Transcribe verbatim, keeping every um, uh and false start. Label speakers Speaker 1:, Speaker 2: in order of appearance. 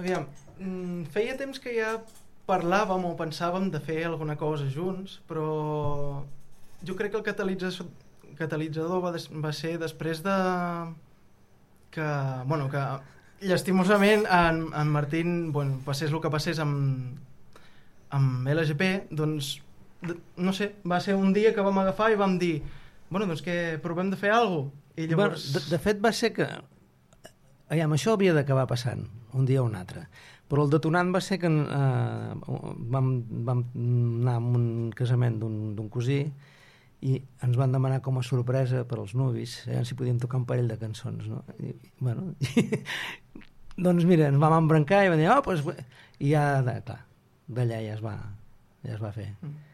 Speaker 1: Aviam, feia temps que ja parlàvem o pensàvem de fer alguna cosa junts, però jo crec que el catalitzador, catalitzador va, des, va ser després de que, bueno, que llastimosament en, en Martín, bueno, passés el que passés amb, amb L G P, doncs, no sé, va ser un dia que vam agafar i vam dir, bueno, doncs que provem de fer alguna cosa. I llavors...
Speaker 2: Bueno, de, de fet va ser que... Aviam, això havia d'acabar passant, un dia o un altre. Però el detonant va ser que eh, vam, vam anar a un casament d'un cosí i ens van demanar com a sorpresa per als nuvis, eh, si podíem tocar un parell de cançons, no? I, bueno, i, doncs mira, ens vam embrancar i vam dir, oh, doncs... I ja, clar, d'allà ja es va, ja es va fer. Mm.